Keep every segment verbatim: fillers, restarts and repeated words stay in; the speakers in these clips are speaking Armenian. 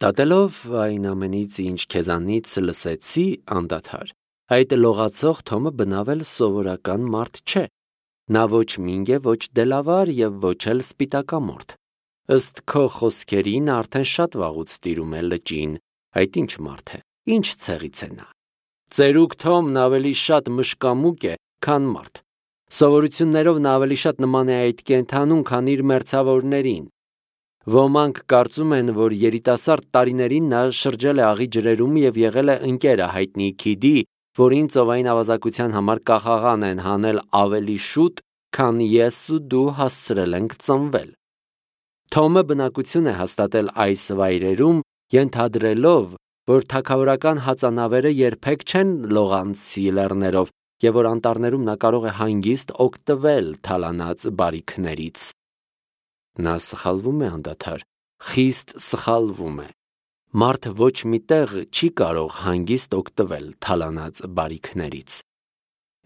Դատելով այն ամենից, ինչ քեզանից լսեցի, անդադար, այդ լողացող Թոմը բնավել սովորական մարդ չէ, նա ոչ մինգ է, ոչ դելավար և ոչ էլ սպիտակամորթ, ըստ քո խոսքերի նա արդեն շատ վաղուց տիրում է լճին, այդ ինչ մարդ է, ինչ ցեղից է նա, ծերուկ Թոմն ավելի շատ մշկամուկ է, քան մարդ, սովորություններով նա ավելի շատ նման է այդ կենդանուն, քան իր մերձավորներին, ոմանք կարծում են, որ երիտասարդ տարիներին նա շրջել է աղի ջրերում և եղել է ընկերը հայտնի Քիդի, որին ծովային ավազակության համար կախաղան են հանել ավելի շուտ, քան ես ու դու հասցրել ենք ծնվել։ Թոմը բնակություն է հաստատել այս վայրերում, ենթադրելով, որ թագավորական հածանավերը երբեք չեն լողանցի լեռներով և որ անտառներում նա կարող է հանգիստ օգտվել թալանած բարիքներից։ Նա սխալվում է անդադար, խիստ սխալվում է։ Մարդ ոչ մի տեղ չի կարող հանգիստ օգտվել թալանած բարիքներից։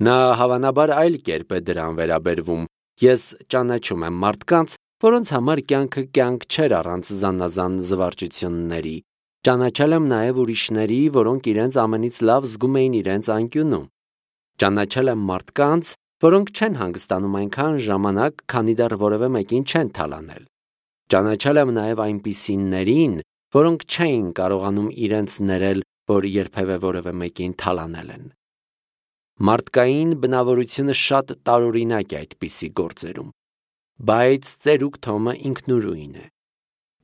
Նա հավանաբար այլ կերպ է դրան վերաբերվում։ Ես ճանաչում եմ մարդկանց, որոնց համար կյանքը կյանք չէր առանց զանազան զվարճությունների։ Ճանաչել եմ նաև ուրիշների, որոնք իրենց ամենից լավ զգում էին իրենց անկյունում։ Ճանաչել եմ մարդկանց, որոնք չեն հանգստանում այնքան ժամանակ, քանի դեռ որևէ մեկին չեն թալանել։ Ճանաչել եմ նաև այնպիսիներին, որոնք չէին կարողանում իրենց ներել, որ երբևէ որևէ մեկին թալանել են։ Մարդկային բնավորությունը շատ տարօրինակ է այդպիսի գործերում, բայց ծերուկ Թոմը ինքնուրույն է։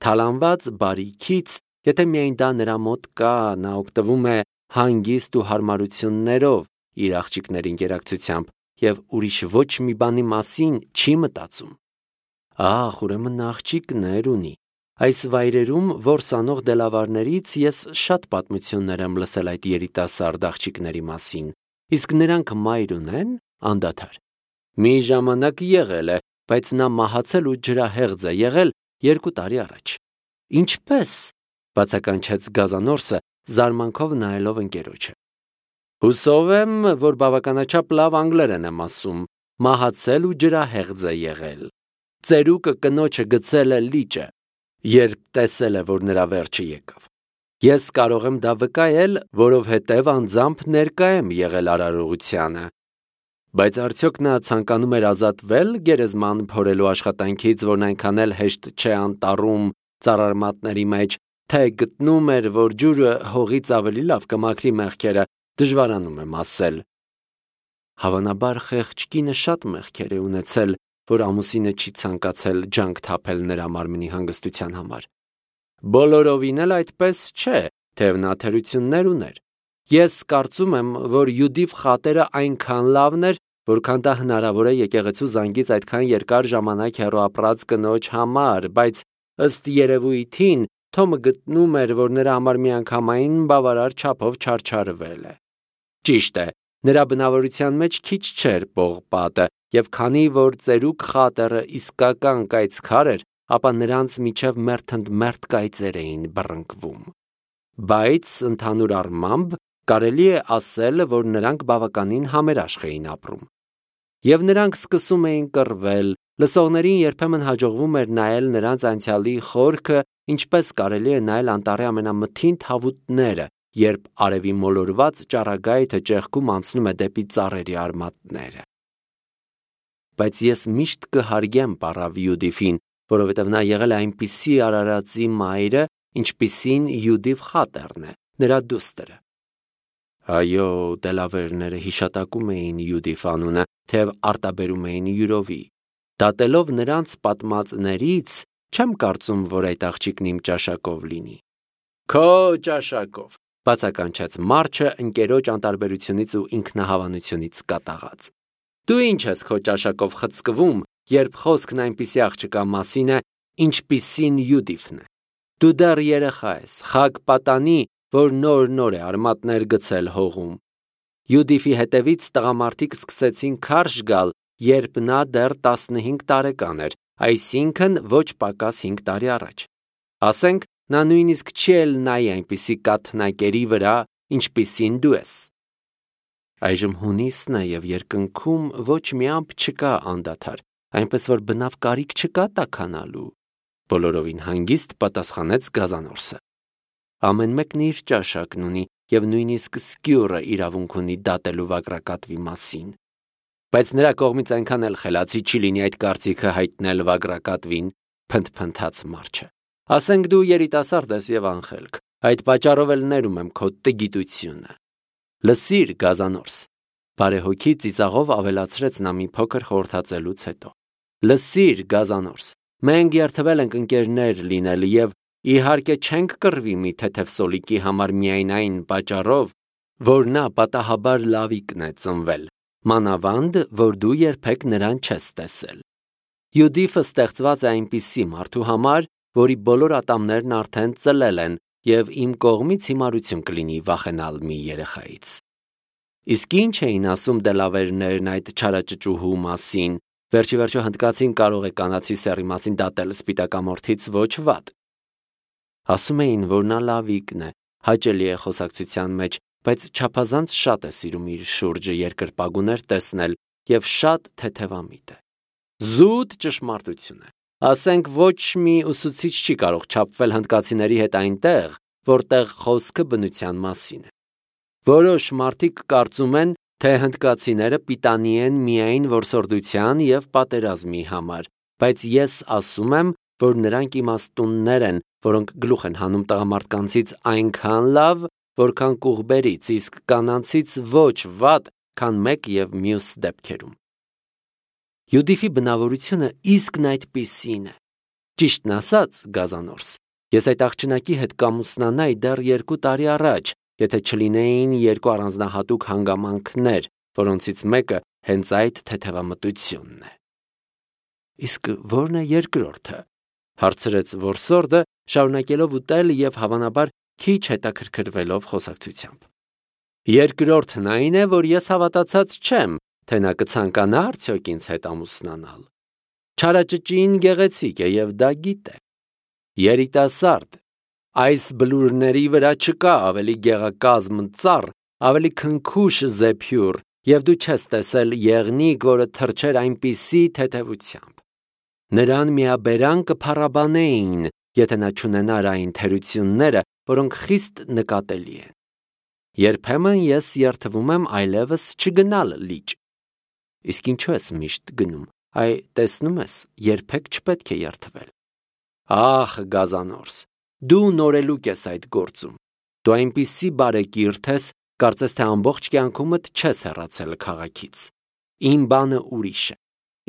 Թալանված բարիքից, եթե միայն դա նրա մոտ կա, նա օգտվում է հանգիստ ու հարմարություններով իր աղջիկների ընկերակցությամբ և ուրիշ ոչ մի բանի մասին չի մտածում։ Ահ, ուրեմն նա աղջիկներ ունի։ Այս վայրերում որս անող դելավարներից ես շատ պատմություններ եմ լսել այդ երիտասարդ աղջիկների մասին, իսկ նրանք մայր ունեն, անդադար։ Մի ժամանակ եղել է, բայց նա մահացել ու ջրահեղձ է եղել երկու տարի առաջ։ Ինչպե՞ս, բացականչեց Գազանորսը, զարմանքով նայելով ընկերոջը։ Հուսով եմ, որ բավականաչափ լավ անգլերեն եմ ասում, մահացել ու ջրահեղձ է եղել։ Ծերուկը կնոջը գցել է լիճը, երբ տեսել է, որ նրա վերջը եկավ։ Ես կարող եմ դա վկայել, որովհետև անձամբ ներկա եմ եղել արարողությանը։ Բայց արդյոք նա ցանկանում էր ազատվել գերեզման փորելու աշխատանքից, որն այնքան էլ հեշտ չէ անտառում ծառարմատների մեջ, թե գտնում էր, որ ջուրը հողից ավելի լավ կմաքրի մեղքերը, դժվարանում եմ ասել։ Հավանաբար խեղճ կինը շատ մեղքեր է ունեցել, որ ամուսինը չի ցանկացել ջանք թափել նրա մարմնի հանգստության համար։ Բոլորովին էլ այդպես չէ, թեև նա թերություններ ուներ։ Ես կարծում եմ, որ Յուդիվ խատերը այնքան լավն էր, որքան դա հնարավոր է եկեղեցու զանգից այդքան երկար ժամանակ հեռու ապրած կնոջ համար, բայց ըստ երևույթին Թոմը գտնում էր, որ նրա համար միանգամայն բավարար չափով չարչարվել է։ Ճիշտ է, նրա բնավորության մեջ քիչ չէր պողպատը, և քանի որ ծերուկ խատերը իսկական կայծքար էր, ապա նրանց միջև մերթընդմերթ կայծեր էին բռնկվում։ Բայց ընդհանուր առմամբ կարելի է ասել, որ նրանք բավականին համերաշխ էին ապրում։ Եվ նրանք սկսում էին կռվել, լսողներին երբեմն հաջողվում էր նայել նրանց անցյալի խորքը, ինչպես կարելի է նայել անտառի ամենամթին թավուտները, երբ արևի մոլորված ճառագայթը ճեղքում անցնում է դեպի ծառերի արմատները։ Բայց ես միշտ կհարգեմ պառավ Յուդիֆին, որովհետև նա եղել է այնպիսի արարածի մայրը, ինչպիսին Յուդիվ խատերն է, նրա դուստրը։ Այո, դելավերները հիշատակում էին Յուդիֆ անունը, թեև արտաբերում էին յուրովի։ Դատելով նրանց պատմածներից, չեմ կարծում, որ այդ աղջիկն իմ ճաշակով լինի։ Քո ճաշակով, բացականչեց Մարչը ընկերոջ անտարբերությունից ու ինքնահավանությունից կատաղած։ Դու ինչ ես քո ճաշակով խցկվում, երբ խոսքն այնպիսի աղջկա մասին է, ինչպիսին Յուդիֆն է։ Դու դեռ երեխա ես, խակ պատանի, որ նոր-նոր է արմատներ գցել հողում։ Յուդիֆի հետևից տղամարդիկ սկսեցին քարշ գալ, երբ նա դեռ տասնհինգ տարեկան էր, այսինքն ոչ պակաս հինգ տարի առաջ։ Ասենք, նա նույնիսկ չի էլ նայի այնպիսի կաթնակերի վրա, ինչպիսին դու ես։ Այժմ հունիսն է և երկնքում ոչ մի ամպ չկա անդադար, այնպես որ բնավ կարիք չկա տաքանալու, բոլորովին հանգիստ պատասխանեց Գազանորսը։ Ամեն մեկն իր ճաշակն ունի և նույնիսկ սկյուռը իրավունք ունի դատելու վագրակատվի մասին։ Բայց նրա կողմից այնքան էլ խելացի չի լինի այդ կարծիքը հայտնել վագրակատվին, փնթփնթաց Մարչը։ Ասենք դու երիտասարդ ես և անխելք, այդ պատճառով էլ ներում եմ քո տգիտությունը։ Լսիր, գազանորս, բարեհոգի ծիծաղով ավելացրեց նա մի փոքր խորհրդածելուց հետո։ Լսիր, գազանորս, մենք երդվել ենք ընկերներ լինել և իհարկե չենք կռվի մի թեթև սոլիկի համար միայն այն պատճառով, որ նա պատահաբար լավիկն է ծնվել, մանավանդ, որ դու երբեք նրան չես տեսել։ Յուդիֆը ստեղծված է այնպիսի մարդու համար, որի բոլոր ատամներն արդեն ծլել են և իմ կողմից հիմարություն կլինի վախենալ մի երեխայից։ Իսկ ինչ էին ասում դելավերներն այդ չարաճճուհու մասին, վերջի վերջո հնդկացին կարող է կանացի սեռի մասին դատել սպիտակամորթից ոչ վատ։ Ասում էին, որ նա լավիկն է, հաճելի է խոսակցության մեջ, բայց չափազանց շատ է սիրում իր շուրջը երկրպագուներ տեսնել և շատ թեթևամիտ է։ Զուտ ճշմարտություն է։ Ասենք ոչ մի ուսուցիչ չի կարող չափվել հնդկացիների հետ այնտեղ, որտեղ խոսքը բնության մասին է։ Որոշ մարդիկ կարծում են, թե հնդկացիները պիտանի են միայն որսորդության և պատերազմի համար, բայց ես ասում եմ, որ նրանք իմաստուններ են, որոնք գլուխ են հանում տղամարդկանցից այնքան լավ, որքան կուղբերից, իսկ կանանցից ոչ վատ, քան մեկ և մյուս դեպքերում։ Յուդիֆի բնավորությունը իսկն այդպիսին է։ Ճիշտն ասած, գազանորս, ես այդ աղջնակի հետ կամուսնանայի դեռ երկու տարի առաջ, եթե չլինեին երկու առանձնահատուկ հանգամանքներ, որոնցից մեկը հենց այդ թեթևամտությունն է։ Իսկ ո՞րն է երկրորդը, հարցրեց որսորդը, շարունակելով ուտել և հավանաբար քիչ հետաքրքրվելով խոսակցությամբ։ Երկրորդն այն է, որ ես հավատացած չեմ, թե նա կցանկանա արդյոք ինձ հետ ամուսնանալ։ Չարաճճին գեղեցիկ է և դա գիտե։ Երիտասարդ, այս բլուրների վրա չկա ավելի գեղակազմ ծառ, ավելի քնքուշ զեփյուռ, և դու չես տեսել եղնիկ, որը թռչեր այնպիսի թեթևությամբ։ Նրան միաբերան կփառաբանեին, եթե նա չունենար այն թերությունները, որոնք խիստ նկատելի են։ Երբեմն ես երդվում եմ այլևս չգնալ լիճ։ Իսկ ինչու ես միշտ գնում, այ տեսնում ես, երբեք չպետք է երդվել։ Ախ, գազանորս, դու նորելուկ ես այդ գործում։ Դու այնպիսի բարեկիրթ ես, կարծես թե ամբողջ կյանքումդ չես հեռացել քաղաքից։ Իմ բանը ուրիշ է։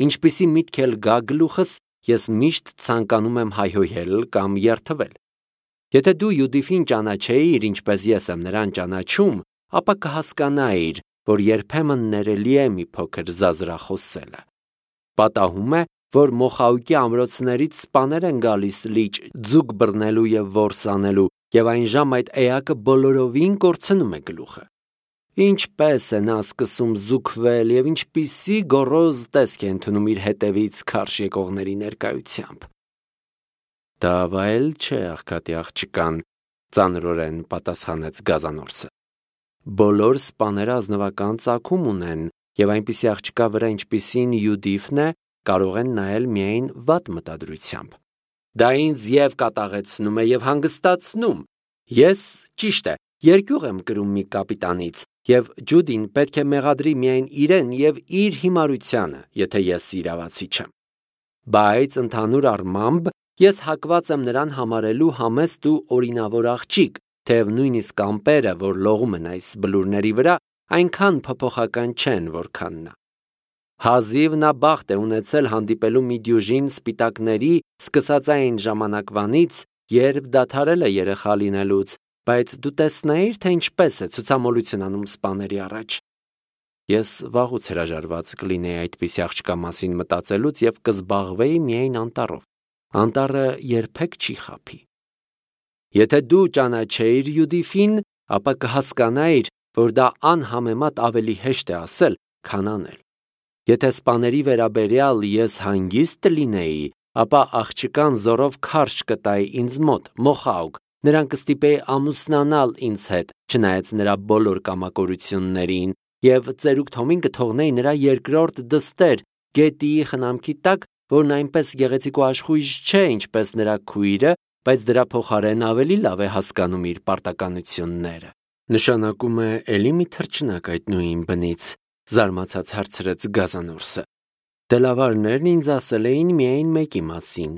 Ինչպիսի միտք էլ գա գլուխս, ես միշտ ցանկանում եմ հայհոյել կամ երդվել։ Եթե դու Յուդիֆին ճանաչեիր, ինչպես ես եմ նրան ճանաչում, ապա կհասկանայիր, որ երբեմն ներելի է մի փոքր զազրախոսելը։ Պատահում է, որ Մոխաուկի ամրոցներից սպաներ են գալիս լիճ ձուկ բռնելու և որս անելու, և այն ժամ այդ էակը բոլորովին կորցնում է գլուխը։ Ինչպես է նա սկսում զուգվել և ինչպիսի գոռոզ տեսք է ընդունում իր հետևից քարշ եկողների ներկայությամբ։ Դա վայել չէ աղքատի աղջկան, ծանրորեն պատասխանեց գազանորսը։ Բոլոր սպաները ազնվական ծագում ունեն, և այնպիսի աղջկա վրա, ինչպիսին Յուդիֆն է, կարող են նայել միայն վատ մտադրությամբ։ Դա ինձ և կատաղեցնում է և հանգստացնում։ Ես, ճիշտ է, երկյուղ եմ կրում մի կապիտանից, և Ջուդին պետք է մեղադրի միայն իրեն և իր հիմարությանը, եթե ես իրավացի չեմ։ Բայց ընդհանուր առմամբ ես հակված եմ նրան համարելու համեստ ու օրինավոր աղջիկ, թեև նույնիսկ ամպերը, որ լողում են այս բլուրների վրա, այնքան փոփոխական չեն, որքան նա։ Հազիվ նա բախտ է ունեցել հանդիպելու մի դյուժին սպիտակների սկսած այն ժամանակվանից, երբ դադարել է երեխա լինելուց, բայց դու տեսնեիր, թե ինչպես է ցուցամոլություն անում սպաների առաջ։ Ես վաղուց հրաժարված կլինեի այդպիսի աղջկա մասին մտածելուց և կզբաղվեի միայն անտառով։ Անտառը երբեք չի խաբի։ Եթե դու ճանաչեիր Յուդիֆին, ապա կհասկանայիր, որ դա անհամեմատ ավելի հեշտ է ասել, քան անել։ Եթե սպաների վերաբերյալ ես հանգիստ լինեի, ապա աղջկան զորով քարշ կտայի ինձ մոտ, Մոխաուկ, նրան կստիպեի ամուսնանալ ինձ հետ, չնայած նրա բոլոր կամակորություններին, և ծերուկ Թոմին կթողնեի նրա երկրորդ դստեր, Գետիի խնամքի տակ, որն այնպես գեղեցիկ ու աշխույժ չէ, ինչպես նրա քույրը, բայց դրա փոխարեն ավելի լավ է հասկանում իր պարտականությունները։ Նշանակում է էլի մի թռչնակ այդ նույն բնից, զարմացած հարցրեց Գազանորսը։ Դելավարներն ինձ ասել էին միայն մեկի մասին։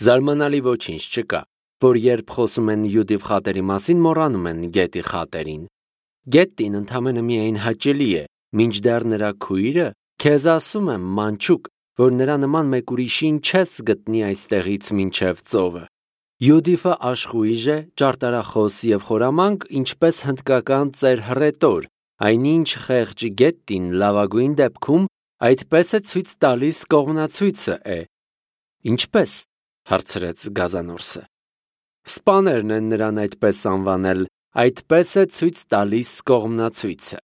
Զարմանալի ոչինչ չկա, որ երբ խոսում են Յուդիվ խատերի մասին, մոռանում են Գետի խատերին։ Գետին ընդամենը միայն հաճելի է, մինչդեռ նրա քույրը քեզ ասում եմ, մանչուկ, որ նրա նման մեկ ուրիշին չես գտնի այստեղից մինչև ծովը։ Յուդիֆը աշխույժ է, ճարտարախոս եւ խորամանկ, ինչպես հնդկական ծեր հռետոր, այնինչ խեղճ Գետին լավագույն դեպքում այդպես է ցույց տալիս կողմնացույցը է։ Ինչպես, հարցրեց Գազանորսը։ Սպաներն են նրան այդպես անվանել, այդպես է ցույց տալիս կողմնացույցը։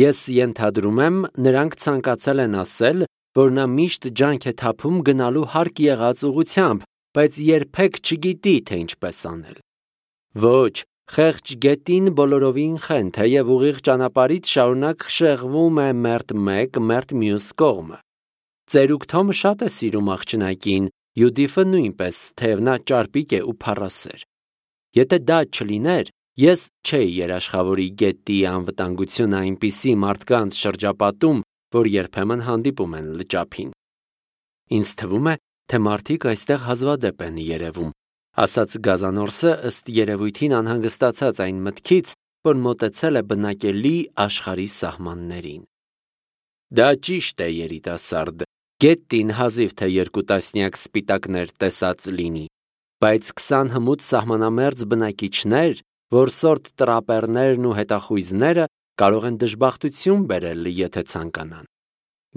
Ես ենթադրում եմ, նրանք ցանկացել են ասել, որ նա միշտ ջանք է թափում գնալու հարկ եղած ուղությամբ, բայց երբեք չգիտի, թե ինչպես անել։ Ոչ, խեղճ Գետին բոլորովին խենթ է եւ ուղիղ ճանապարհից շարունակ շեղվում է մերթ մեկ, մերթ մյուս կողմը։ Ծերուկ Թոմը շատ է սիրում աղջնակին, Յուդիֆը նույնպես, թեև նա ճարպիկ է ու փառասեր։ Եթե դա չլիներ, ես չէի երաշխավորի Գետի անվտանգությունը այնպիսի մարդկանց շրջապատում, որ երբեմն հանդիպում են լճափին։ Ինձ թվում է, թե մարդիկ այստեղ հազվադեպ են երևում, ասաց Գազանորսը ըստ երևույթին անհանգստացած այն մտքից, որ մոտեցել է բնակելի աշխարհի սահմաններին։ Դա ճիշտ է, երիտասարդ, Գետին հազիվ թե երկու տասնյակ սպիտակներ տեսած լինի, բայց քսան հմուտ սահմանամերձ բնակիչներ, որսորդ տրապերներն ու հետախույզները կարող են դժբախտություն բերել, եթե ցանկանան։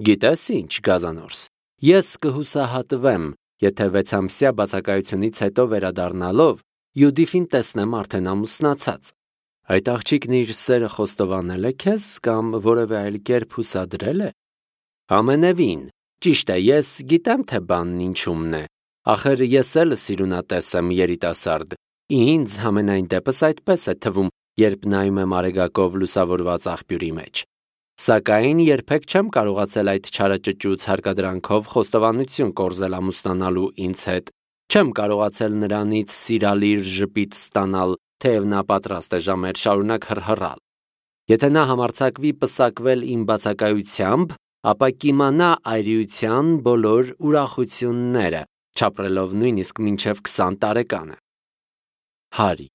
Գիտես ինչ, Գազանորս, ես կհուսահատվեմ, եթե վեցամսյա բացակայությունից հետո վերադառնալով Յուդիֆին տեսնեմ արդեն ամուսնացած։ Այդ աղջիկն իր սերը խոստովանել է քեզ կամ որևէ այլ կերպ հուսադրել է։ Ամենևին, ճիշտ է, ես գիտեմ, թե բանն ինչումն է։ Ախր ես էլ սիրունատես եմ, երիտասարդ։ Ինձ համենայն դեպս այդպես է թվում, երբ նայում եմ արեգակով լուսավորված աղբյուրի մեջ։ Սակայն երբեք չեմ կարողացել այդ չարաճճուց հարկադրանքով խոստովանություն կորզել ամուսնանալու ինձ հետ։ Չեմ կարողացել նրանից սիրալիր ժպիտ ստանալ, թեև նա պատրաստ է ժամեր շարունակ հռհռալ։ Եթե նա համարձակվի պսակվել իմ բացակայությամբ, ապա կիմանա այրիության բոլոր ուրախությունները, չապրելով նույնիսկ մինչև քսան տարեկանը։ Հարի,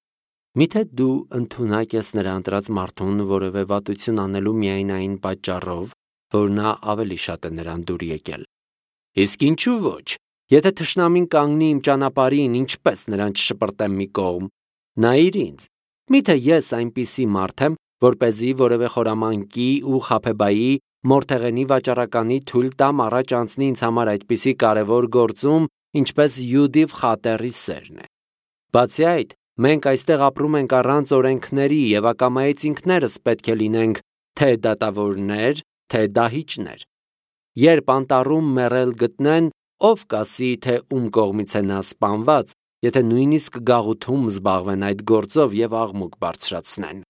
միթե դու ընդունակ ես նրա ընտրած մարդուն որևէ վատություն անելու միայն այն պատճառով, որ նա ավելի շատ է նրան դուր եկել։ Իսկ ինչու ոչ, եթե թշնամին կանգնի իմ ճանապարհին, ինչպես նրան չշպրտեմ մի կողմ, նայիր ինձ, միթե ես այնպիսի մարդ եմ, որպեսզի որևէ խորամանկի ու խաբեբայի մորթեղենի վաճառականի թույլ տամ առաջ անցնի ինձ համար այդպիսի կարևոր գործում, ինչպես Յուդիվ խատերի սերն է։ Բացի այդ, մենք այստեղ ապրում ենք առանց օրենքների եւ ակամայից ինքներս պետք է լինենք թե դատավորներ, թե դահիճներ։ Երբ անտառում մեռել գտնեն, ով կասի, թե ում կողմից է նա սպանված, եթե նույնիսկ գաղութում զբաղվեն այդ գործով եւ աղմուկ բարձրացնեն։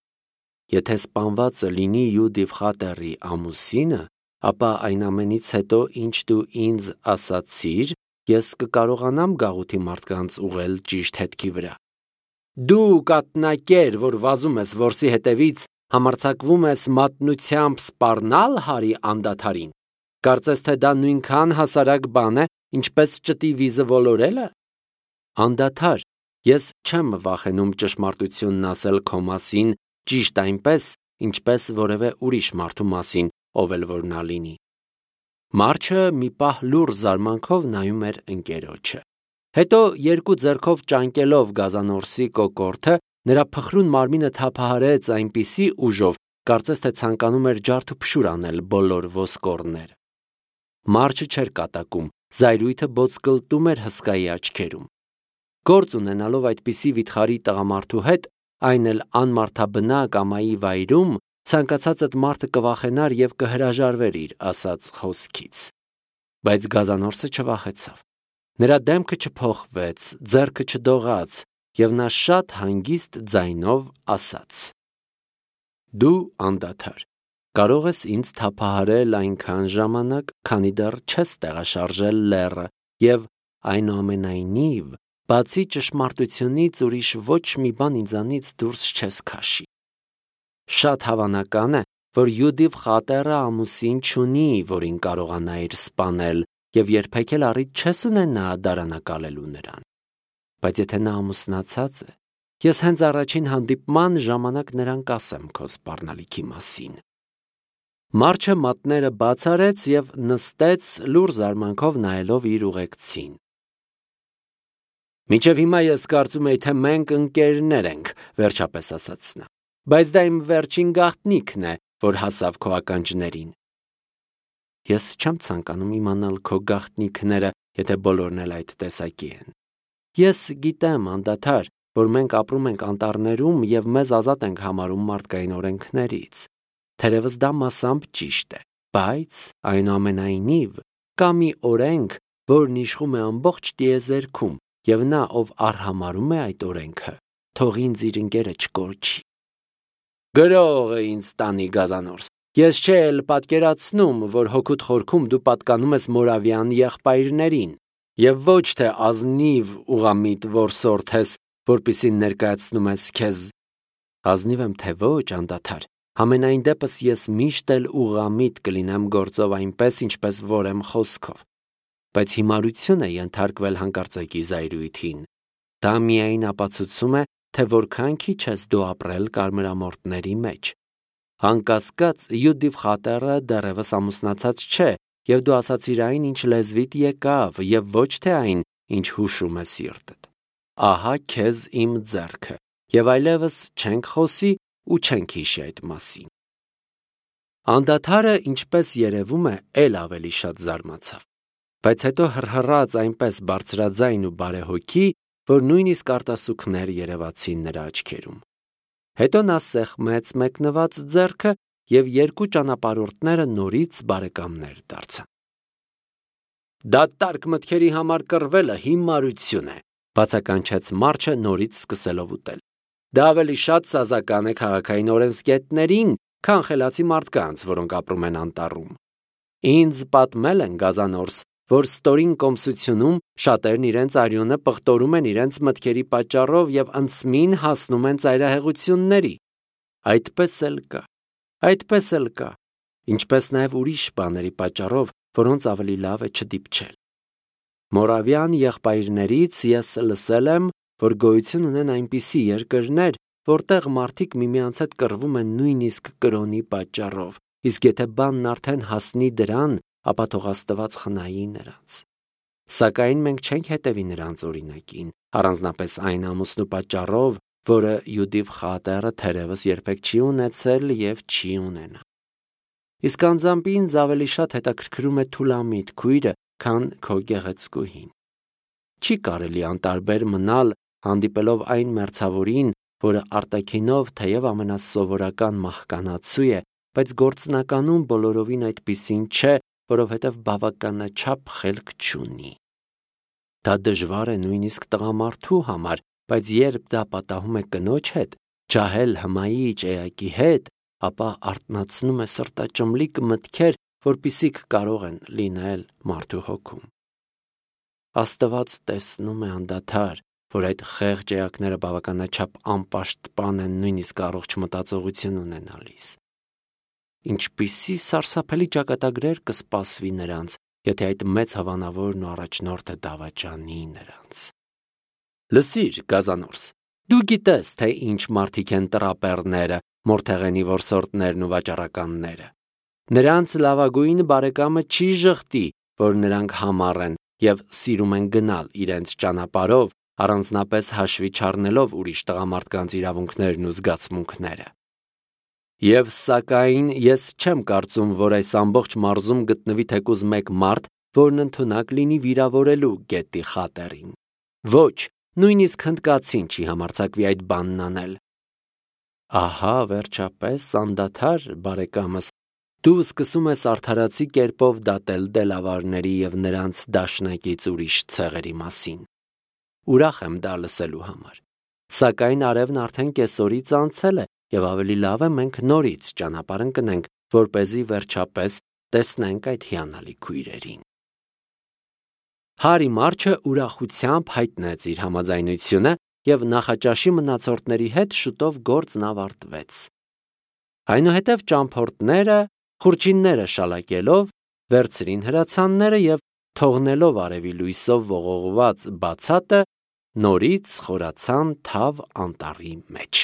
Եթե սպանվածը լինի Յուդիվ խատերի ամուսինը, ապա այն ամենից հետո, ինչ դու ինձ ասացիր, ես կկարողանամ գաղութի մարդկանց ուղղել ճիշտ հետքի վրա։ Դու կատնակեր, որ վազում ես որսի հետևից, համարձակվում ես մատնությամբ սպառնալ Հարի անդադարին։ Կարծես թե դա նույնքան հասարակ բան է, ինչպես ճտի վիզը ոլորելը։ Անդադար, ես չեմ վախենում ճշմարտությունն ասել քո մասին, ճիշտ այնպես, ինչպես որևէ ուրիշ մարդու մասին, ով էլ որ նա լինի։ Մարչը մի պահ լուռ զարմանքով նայում էր ընկերոջը։ Հետո երկու ձեռքով ճանկելով Գազանորսի կոկորդը, նրա փխրուն մարմինը թափահարեց այնպիսի ուժով, կարծես թե ցանկանում էր ջարդ ու փշուր անել բոլոր ոսկորները։ Մարչը չէր կատակում, զայրույթը բոցկլտում էր հսկայի աչքերում։ Գործ ունենալով այդպիսի վիթխարի տղամարդու հետ, այն էլ անմարդաբնակ ամայի վայրում, ցանկացածդ մարդը կվախենար եւ կհրաժարվեր իր ասած խոսքից։ Բայց Գազանորսը չվախեցավ։ Նրա դեմքը չփոխվեց, ձեռքը չդողաց, եւ նա շատ հանգիստ ձայնով ասաց. Դու անդադար կարող ես ինձ թափահարել այնքան ժամանակ, քանի դեռ չես տեղաշարժել լեռը, եւ այնուամենայնիվ բացի ճշմարտությունից ուրիշ ոչ մի բան ինձանից դուրս չես քաշի։ Շատ հավանական է, որ Յուդիվ խատերը ամուսին չունի, որին կարողանա իր սպանել, և երբեք էլ առիթ չես ունենա դարանակալելու նրան։ Բայց եթե նա ամուսնացած է, ես հենց առաջին հանդիպման ժամանակ նրան կասեմ քո սպառնալիքի մասին։ Մարչը մատները բաց արեց և նստեց լուռ զարմանքով նայելով իր ուղեկցին։ Մինչև հիմա ես կարծում էի, թե մենք ընկերներ ենք, վերջապես ասաց նա, բայց դա իմ վերջին գաղտնիքն է, որ հասավ քո ականջներին։ Ես չեմ ցանկանում իմանալ քո գաղտնիքները, եթե բոլորն էլ այդ տեսակի են։ Ես գիտեմ, անդադար, որ մենք ապրում ենք անտառներում և մեզ ազատ ենք համարում մարդկային օրենքներից։ Թերևս դա մասամբ ճիշտ է, բայց այնուամենայնիվ կա մի օրենք, որն իշխում է ամբողջ տիեզերքում, և նա, ով արհամարհում է այդ օրենքը, թող ինձ իր ընկերը չկորչի։ Գրող է ինձ տանի գազանորս, ես չէ էլ պատկերացնում, որ հոգուտ խորքում դու պատկանում ես Մորավյան եղբայրներին, և ոչ թե ազնիվ ուղղամիտ որսորդ ես, որպեսզի ներկայացնում ես քեզ։ Ազնիվ եմ թե ոչ, անդադար, համենայն դեպս ես միշտ էլ ուղղամիտ կլինեմ գործով այնպես, ինչպես որ եմ խոսքով, բայց հիմարություն է ենթարկվել հանկարծակի զայրույթին։ Դա միայն ապացուցում է, թե որքան քիչ ես դու ապրել կարմրամորթների մեջ։ Անկասկած Յուդիվ խատերը դեռևս ամուսնացած չէ, և դու ասացիր այն, ինչ լեզվիդ եկավ, և ոչ թե այն, ինչ հուշում է սիրտդ։ Ահա քեզ իմ ձեռքը, և այլևս չենք խոսի ու չենք հիշի այդ մասին։ Անդադարը, ինչպես երևում է, էլ ավելի շատ զարմացավ, բայց հետո հռհռաց այնպես բարձրաձայն ու բարեհոգի, որ նույնիսկ արտասուքներ երևացին նրա աչքերում։ Հետո նա սեղմեց մեկնված ձեռքը, և երկու ճանապարհորդները նորից բարեկամներ դարձան։ Դատարկ մտքերի համար կռվելը հիմարություն է, բացականչեց Մարչը նորից սկսելով ուտել։ Դա ավելի շատ սազական է քաղաքային օրենսգետներին, քան խելացի մարդկանց, որոնք ապրում են անտառում։ Ինձ պատմել են գազանորս, որ ստորին կոմսությունում շատերն իրենց արյունը պղտորում են իրենց մտքերի պատճառով և անցմին հասնում են ծայրահեղությունների։ Այդպես էլ կա, այդպես էլ կա, ինչպես նաև ուրիշ բաների պատճառով, որոնց ավելի լավ է չդիպչել։ Մորավյան եղբայրներից ես լսել եմ, որ գոյություն ունեն այնպիսի երկրներ, որտեղ մարդիկ միմյանց հետ կռվում են նույնիսկ կրոնի պատճառով, իսկ եթե բանն արդեն հասնի դրան, ապա թող Աստված խնայի նրանց։ Սակայն մենք չենք հետևի նրանց օրինակին, առանձնապես այն ամուսնու պատճառով, որը Յուդիվ խատերը թերևս երբեք չի ունեցել և չի ունենա։ Իսկ անձամբ ինձ ավելի շատ հետաքրքրում է Թուլամիտ քույրը, քան քո գեղեցկուհին։ Չի կարելի անտարբեր մնալ, հանդիպելով այն մերձավորին, որը արտաքինով թեև ամենասովորական մահկանացու է, բայց գործնականում բոլորովին այդպիսին չէ, որովհետև բավականաչափ խելք չունի։ Դա դժվար է նույնիսկ տղամարդու համար, բայց երբ դա պատահում է կնոջ հետ, ջահել հմայիչ էակի հետ, ապա արթնացնում է սրտաճմլիկ մտքեր, որպիսիք կարող են լինել մարդու հոգում։ Աստված տեսնում է անդադար, որ այդ խեղճ էակները բավականաչափ անպաշտպան են նույնիսկ առողջ մտածողություն ունենալիս։ Ինչպիսի սարսափելի ճակատագրեր կսպասվի նրանց, եթե այդ մեծ հավանավորն ու առաջնորդը դավաճանի նրանց։ Լսիր, գազանորս, դու գիտես, թե ինչ մարդիկ են տրապեռները, մորթեղենի որսորդներն ու վաճառականները։ Նրանց լավագույն բարեկամը չի ժխտի, որ նրանք համառ են և սիրում են գնալ իրենց ճանապարհով, առանձնապես հաշվի չառնելով ուրիշ տղամարդկանց իրավունքներն ու զգացմունքները։ Եվ սակայն ես չեմ կարծում, որ այս ամբողջ մարզում գտնվի թեկուզ մեկ մարդ, որն ընդունակ լինի վիրավորելու գետի խատերին։ Ոչ, նույնիսկ հնդկացին չի համարձակվի այդ բանն անել։ Ահա, վերջապես, անդադար, բարեկամս, դու սկսում ես արդարացի կերպով դատել դելավարների և նրանց դաշնակից ուրիշ ցեղերի մասին։ Ուրախ եմ դա լսելու համար։ Սակայն արևն արդեն կեսօրից անցել է, և ավելի լավ է մենք նորից ճանապարհ ընկնենք, որպեսզի վերջապես տեսնենք այդ հիանալի քույրերին։ Հարի Մարչը ուրախությամբ հայտնեց իր համաձայնությունը և նախաճաշի մնացորդների հետ շուտով գործն ավարտվեց։ Այնուհետև ճամփորդները, խուրջինները շալակելով, վերցրին հրացանները և թողնելով արևի լույսով ողողված բացատը, նորից խորացան Թավ անտառի մեջ։